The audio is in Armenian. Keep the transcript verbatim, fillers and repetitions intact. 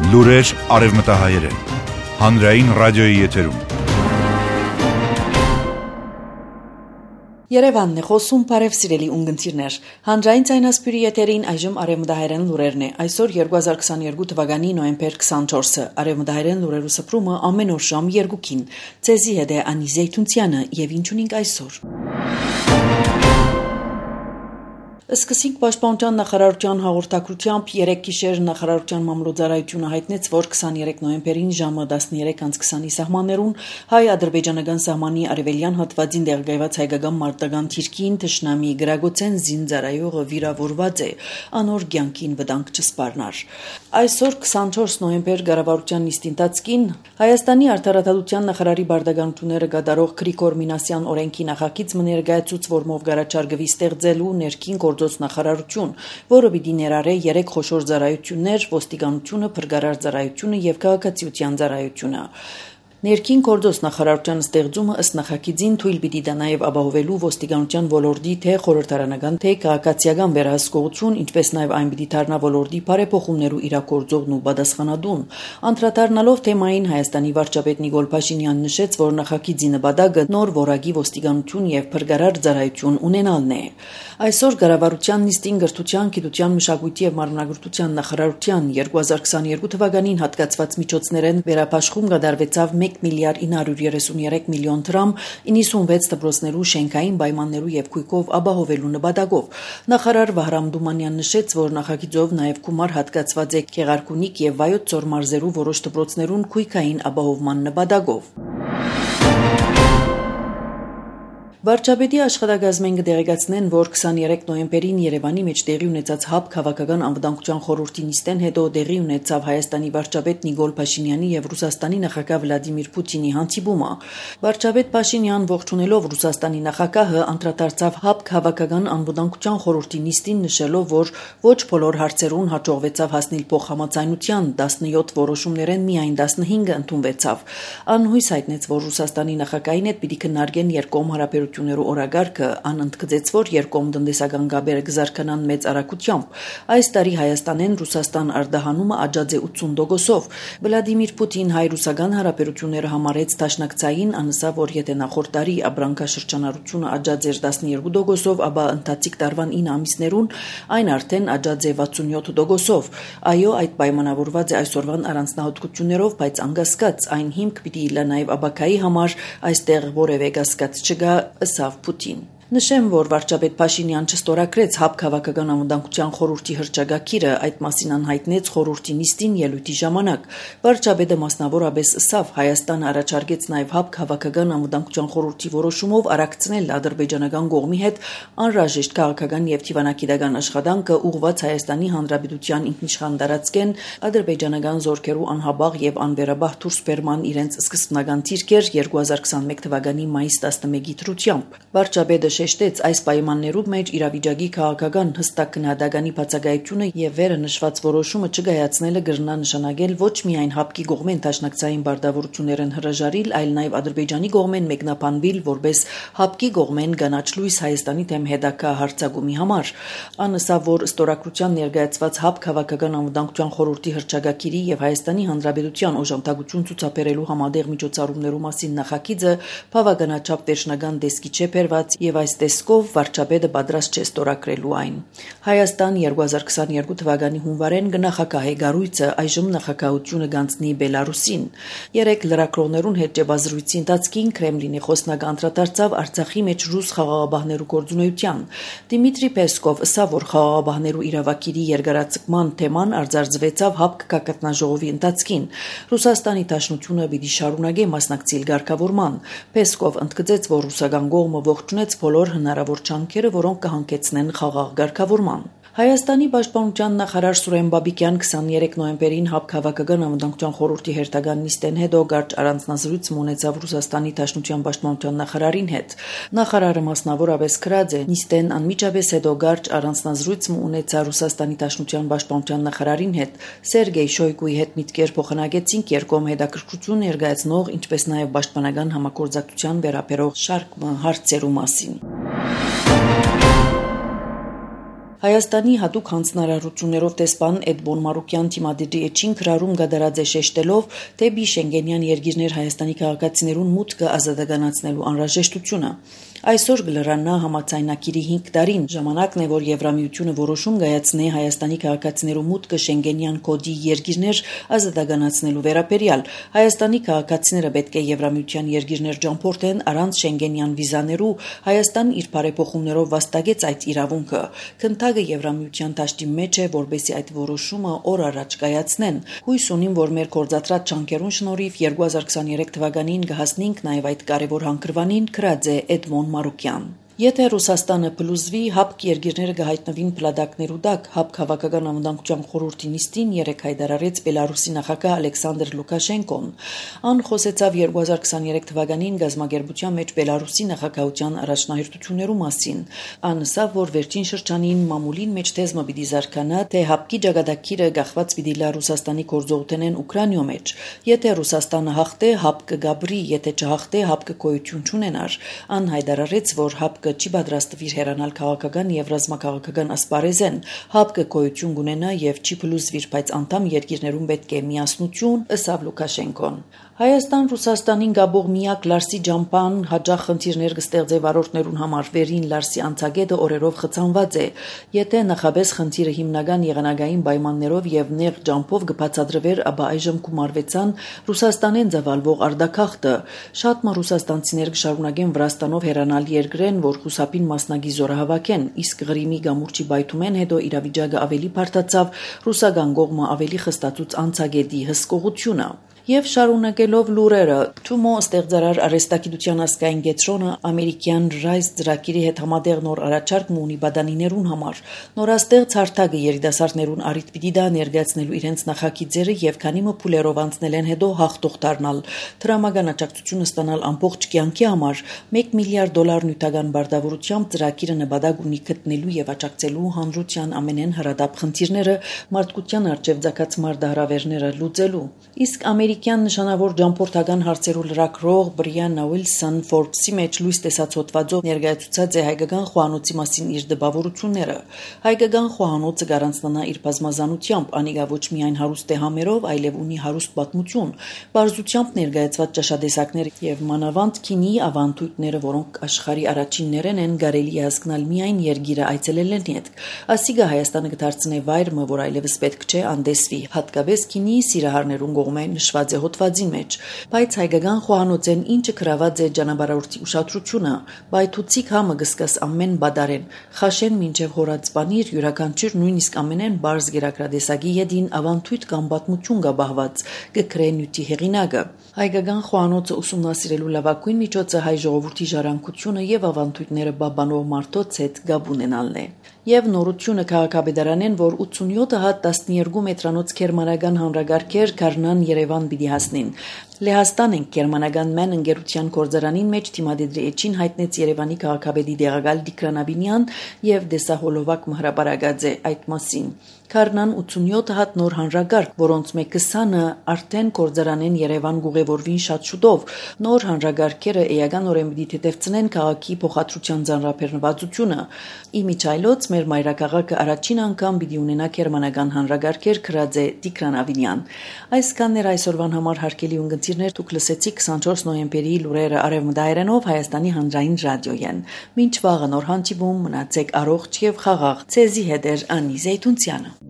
Լուրեր արևմտահայերեն, հանրային ռադիոյի եթերում։ Երևանն է խոսում, բարև սիրելի ունգընտիրներ։ Հանրային ցայնասպյուրի եթերին այժմ արևմտահայերեն լուրերն է։ Այսօր երկու հազար քսաներկու թվականի նոյեմբեր քսանչորսը։ Արևմտահայերեն լուրերու սփռումը ամեն օր ժամ երկուքին։ Ցեզի հետ է Անի Զեյթունցյանը եւ ինչ ունենք այսօր։ Սկսենք պաշտպանության նախարարության հաղորդակցությամբ երեք գիշեր նախարարության մամլոյցարայությունը հայտնեց, որ քսաներեք նոյեմբերին ժամը տասներեք քսանի սահմաններուն հայ-ադրբեջանական սահմանի արևելյան հատվածին տեղակայված հայկական մարտական թիրքին թշնամի գրագոցեն զինծառայողը վիրավորված է, անոր կյանքին վտանգ չսպառնար։ Այսօր քսանչորս նոյեմբեր կառավարության նիստին տածկին Հայաստանի արդարադատության նախարարի բարդականությունները կատարող Գրիգոր Մինասյան օրենքի նախագիծ մներգայացուց որմով գարաչարգվի ստեղծելու ներքին նախարարություն, որը պիտի ներառե երեք խոշոր ծառայություններ՝ ոստիկանությունը, փրկարար ծառայությունը եւ քաղաքացիության ծառայությունը։ Ներքին գործոս նախարարության ստեղծումը ըստ նախագիծին թույլ պիտի տա նաև ապահովելու ոստիկանության ոլորտի թե խորհրդարանական թե քաղաքացիական վերահսկողություն, ինչպես նաև այն պիտի դառնա ոլորտի բարեփոխումներու իրագործողն ու պատասխանատուն։ Անդրադառնալով թեմային Հայաստանի վարչապետ Նիկոլ Փաշինյանն նշեց, որ նախագիծի նպատակը նոր որակի ոստիկանություն եւ փրկարար ծառայություն ունենալն է։ Այսօր կառավարության նիստին գրթության, գիտության, մշակույթի եւ մարմնագրթության նախարարության երկու հազար քսաներկու թվականին հատկացված միջոցներեն վերապաշխում կդարվեցավ մեկ միլիարդ ինը հարյուր երեսունյերեք միլիոն դրամ իննսունվեց դպրոցներու շենքային պայմաններու եւ քույկով ապահովելու նպատակով։ Նախարար Վահրամ Դումանյանն նշեց, որ նախագիծով նաեւ գումար հատկացված է Գեղարքունիք եւ Վայոց ձոր մարզերու որոշ դպրոցներուն քույկային ապահովման նպատակով։ Վարչապետի աշխատակազմեն կդեղեկացնեն, որ քսաներեք նոյեմբերին Երևանի մեջ տեղի ունեցած ՀԱՊ քաղաքական անվտանգության խորհրդի նիստեն հետո տեղի ունեցավ Հայաստանի վարչապետ Նիկոլ Փաշինյանի եւ Ռուսաստանի նախագահ Վլադիմիր Պուտինի հանդիպումը։ Վարչապետ Փաշինյան ողջունելով Ռուսաստանի նախագահը անդրադարձավ ՀԱՊ քաղաքական անվտանգության խորհրդի նիստին, նշելով, որ ոչ բոլոր հարցերուն հաջողվեցավ հասնել փոխհամաձայնության, տասնյոթ որոշումներեն միայն տասնհինգը ընդունվեցավ։ Անհույս հայտնեց, որ Ռուսաստանի նախագահին հետ պիտի քննարկեն երկկողմ հարաբերություններու օրագարկը, անընդգծեց, որ երկկողմ տնտեսական գաբերը կզարգանան մեծ արագությամբ։ Այս տարի Հայաստանեն Ռուսաստան արտահանումը աճած է ութսուն տոկոսով։ Վլադիմիր Պուտին հայ-ռուսական հարաբերությունները համարեց դաշնակցային, անսավ, որ եթե նախորդ տարի ապրանքաշրջանառությունը աճած էր տասնյոթ տոկոսով, ապա ընթացիկ տարվան ինը ամիսներուն այն արդեն աճած է վաթսունյոթ տոկոսով։ Այո, այդ պայմանավորված է այսօրվան առանձնահատկություններով, բայց անկասկած այն հիմք պիտի իլա նաև ապակայի համար, այստեղ որևէ կասկած չկա, ըսավ Պուտին։ Նշեմ, որ վարչապետ Փաշինյան չստորագրեց ՀԱՊ քաղաքական անվտանգության խորհրդի հռչակագիրը, այդ մասին անհայտնեց խորհրդի նիստին ելույթի ժամանակ։ Վարչապետը մասնավորապես ըսավ Հայաստանը առաջարկեց նաև ՀԱՊ քաղաքական անվտանգության խորհրդի որոշումով արագցնել ադրբեջանական կողմի հետ անհրաժեշտ քաղաքական եւ թիվանագիտական աշխատանքը ուղղված Հայաստանի Հանրապետության ինքնիշխան տարածքեն ադրբեջանական զորքերու անհաբաղ եւ անվերաբահ դուրս բերման իրենց սկզբնական թիրքեր երկու հազար քսանմեկ թվականի մայիս տասնմեկի դրությամբ։ Վարչապետը շեշտեց այս պայմաններու մեջ իրավիճակի քաղաքական հստակ գնահատականի բացակայությունը եւ վերը նշված որոշումը չգայացնելը կրնա նշանակել ոչ միայն ՀԱՊ-ի կողմեն դաշնակցային բարդավորություններն հրաժարիլ, այլ նաեւ Ադրբեջանի կողմեն մեկնաբանվել որպես ՀԱՊ-ի կողմեն կանաչ լույս Հայաստանի դեմ հետագա հարձակումի համար։ Անսա որ ստորագրության ներկայացված ՀԱՊ քաղաքական անվտանգության խորհրդի հռչակագիրի եւ Հայաստանի Հանրապետության օժանդակություն ցուցաբերելու համատեղ միջոցառումներու մասին նախագիծը բավականաչափ վերջնական տեսքի չէ բերված եւ այս տեսքով վարչապետը պատրաստ չէ ստորագրելու այն։ Հայաստան երկու հազար քսաներկու թվականի հունվարեն կնախագահի գառույցը այժմ նախագահությունը գանցնի Բելարուսին։ Երեք լրագրողներուն հետ ճեպազրույցի ընթացքին Կրեմլինի խոսնակ անդրադարձավ Արցախի մեջ ռուս խաղաղապահներու գործունեության։ Դիմիտրի Պեսկով ըսավ, որ խաղաղապահներու իրավակիրի երկարաձգման թեման արձարծվեցավ ՀԱՊ կակատնաժողովի ընթացքին։ Ռուսաստանի Դաշնությունը պիտի շարունակի մասնակցել ղեկավարման։ Պեսկով ընդգծեց, որ ռուսական կողմը ողջունեց բոլոր հնարավոր ջանքերը, որոնք կհանգեցնեն խաղաղ ղեկավարման։ Հայաստանի պաշտպանության նախարար Սուրեն Բաբիկյան քսաներեք նոյեմբերին ՀԱՊ քաղաքական անվտանգության խորհրդի հերթական նիստեն հետո կարճ առանձնազրույց ունեցավ Ռուսաստանի Դաշնության պաշտպանության նախարարին հետ։ Նախարարը մասնավորապես գրած է նիստեն անմիջապես հետո կարճ առանձնազրույց ունեցա Ռուսաստանի Դաշնության պաշտպանության նախարարին հետ։ Սերգեյ Շոյգուի հետ միտքեր փոխանակեցինք երկկողմ հետաքրքրություն ներկայացնող, ինչպես նաև պաշտպանական համագործակցության վերաբերող շարք հարցերու մասին։ Հայաստանի հատուկ հանձնարարություններով տեսփան Էդմոն Մարուկյան թիմադիրի էջին քրարում գդարած է շեշտելով, թե բի Շենգենյան երկիրներ Հայաստանի քաղաքացիներուն մուտքը ազատականացնելու անհրաժեշտությունը։ Այսօր գլրանա համաձայնակիրի հինգ տարին ժամանակն է, որ Եվրամիությունը որոշում կայացնի Հայաստանի քաղաքացիներու մուտքը Շենգենյան կոդի երկիրներ ազատականացնելու վերաբերյալ։ Հայաստանի քաղաքացիները պետք է Եվրամիության երկիրներ ճամփորդեն առանց Շենգենյան վիզաներու։ Հայաստան իր բարեփոխումներով վաստակեց այդ իրավունքը։ Քննադատը Եվրամիության դաշտի մեջ է, որբեսի այդ որոշումը օր առաջ կայացնեն։ Հույս ունիմ, որ մեր կորզատրած ճանկերուն շնորհիվ երկու հազար քսաներեք թվականին կհասնենք նաև այդ կարևոր հանգրվանին, գրած է Էդմոն Մարուկյան։ Եթե Ռուսաստանը փլուզվի, հապկ երկիրները կհայտնվին փլադակներու տակ, հապկ քաղաքական անվտանգության խորհրդի նիստին երեկ հայտարարեց Բելարուսի նախագահ Ալեքսանդր Լուկաշենկոն։ Ան խոսեցավ երկու հազար քսաներեք թվականին գազագերբության մեջ Բելարուսի նախագահության առաջնահերթություններու մասին։ Ան ասավ, որ վերջին շրջանին մամուլին մեջ թեզմը պիտի զարգանա, թե հապկի ճակատագիրը գախված պիտի լա Ռուսաստանի գործողությունեն Ուկրաինայո մեջ։ Եթե Ռուսաստանը հաղթե, հապկը գաբրի, եթե չհաղթե, հապկը գոյություն չունենար։ Ան հայտարարեց, որ հապկը չի պատրաստվիր հեռանալ քաղաքական եւ ռազմաքաղաքական ասպարեզեն, հապկը գոյություն կունենա եւ չի փլուզվիր, բայց անդամ երկիրներուն պետք է միասնություն, ըսավ Լուկաշենկոն։ Հայաստան-Ռուսաստանին գաբող միակ Լարսի ջամփան հաջող խնդիրներ կստեղծե վարորդներուն համար վերին Լարսի անցագետը օրերով խցանված է։ Եթե նախաբես խնդիրը հիմնական եղանակային պայմաններով եւ նեղ ջամփով կբացատրվեր, ապա այժմ կմարվեցան Ռուսաստանեն ծավալվող արդակախտը։ Շատ մը ռուսաստանցիներ կշարունակեն Վրաստանով հեռանալ երկրեն, որ խուսափին մասնագի զորահավաքեն, իսկ Ղրիմի գամուրջի բայթումեն հետո իրավիճակը ավելի բարդացավ, ռուսական կողմը ավելի խստացուց անցագետի հսկողությունը։ Եվ շարունակելով լուրերը, Թումո ստեղծարար արհեստագիտության ազգային կենտրոնը ամերիկյան Ռայս ծրագիրի հետ համատեղ նոր առաջարկ ունի բադանիներուն համար։ Նորաստեղծ հարթակը երիտասարդներուն առիթ պիտի դա ներկայացնելու իրենց նախագիծերը եւ քանի մը փուլերով անցնելեն հետո հաղթող դառնալ, դրամական աջակցությունը ստանալ ամբողջ կյանքի համար մեկ միլիարդ դոլար նյութական բարտավորությամբ ծրագիրը նպատակ ունի գտնելու եւ աջակցելու հանրության ամենեն հրադապ խնդիրները մարդկության արժեվ ցակած մարդահրավերները լուծելու։ Իսկ ամերիկյան նշանավոր ճամփորդական հարցերու լրագրող Բրիաննա Ուիլսոն Forbes-ի մեջ լույս տեսած հոդվածով ներկայացուցած է հայկական խոհանոցի մասին իր դպավորությունները։ Հայկական խոհանոցը գարանցնանա իր բազմազանությամբ, անիկա ոչ միայն հարուստ է համերով, այլև ունի հարուստ պատմություն, բարձությամբ ներկայացված ճաշատեսակներ եւ մանավանդ քինի ավանդույթները, որոնք աշխարհի առաջիններն են, կարելի է հասկանալ միայն երգիրը այցելելեն հետ։ Ասիգա Հայաստանը կդարձնե վայր, որ այլևս պետք չէ անդեսվի, հատկապես քինի սիրահարներուն կողմեն նշված է հոդվածի մեջ, բայց հայկական խոհանոցեն ինչը գրաված է ճանապարհորդի ուշադրությունը, բայթուցիկ համը գսկս ամեն բադարեն, խաշեն մինչև հորած բանիր յուրաքանչյուր նույնիսկ ամենեն բարձ գերակրադեսագի յետին ավանդույթ կամ պատմություն գաբահված, գկրե նյութի հեղինակը։ Հայկական խոհանոցը ուսումնասիրելու լավագույն միջոցը հայ ժողովրդի ժառանգությունը եւ ավանդույթները բաբանող մարդոց հետ գաբ ունենալն է։ Եվ նորությունը քաղաքապետարանեն, որ ութսունյոթ հատ տասներկու մետրանոց գերմանական հանրագարքեր Կարնան Երևան պիտի հասնին։ Լեհաստան են գերմանական մեն ընկերության գործարանին մեջ թիմադեդրի էջին հայտնեց Երևանի քաղաքապետի դեղակալ Տիգրան Աբինյան եւ Դեսահոլովակ Մհրաբարագաձե այդ մասին։ Կարնան ութսունյոթ հատ նոր հանրագարք, որոնց մեկ քսանը արդեն գործարանեն Երևան գուղևորվին շատ շուտով։ Նոր հանրագարքերը էականորեն պիտի թեթևցնեն քաղաքի փոխադրության ծանրաբեռնվածությունը։ Իմիջայլոց մեր մայրաքաղաքը առաջին անգամ պիտի ունենա գերմանական հանրագարքեր, գրած է Տիգրան Աբինյան։ Այսքանն էր այսօրվան համար հարգելի ունգընտիրներ, դուք լսեցիք քսանչորս նոյեմբերի լուրերը արևմտահայերենով Հայաստանի հանրային ռադիոյեն։ Մինչ վաղը նոր հանդիպում, մնացեք առողջ եւ խաղաղ։ Ցեզի հետ էր Անի Զեյթունցյանը։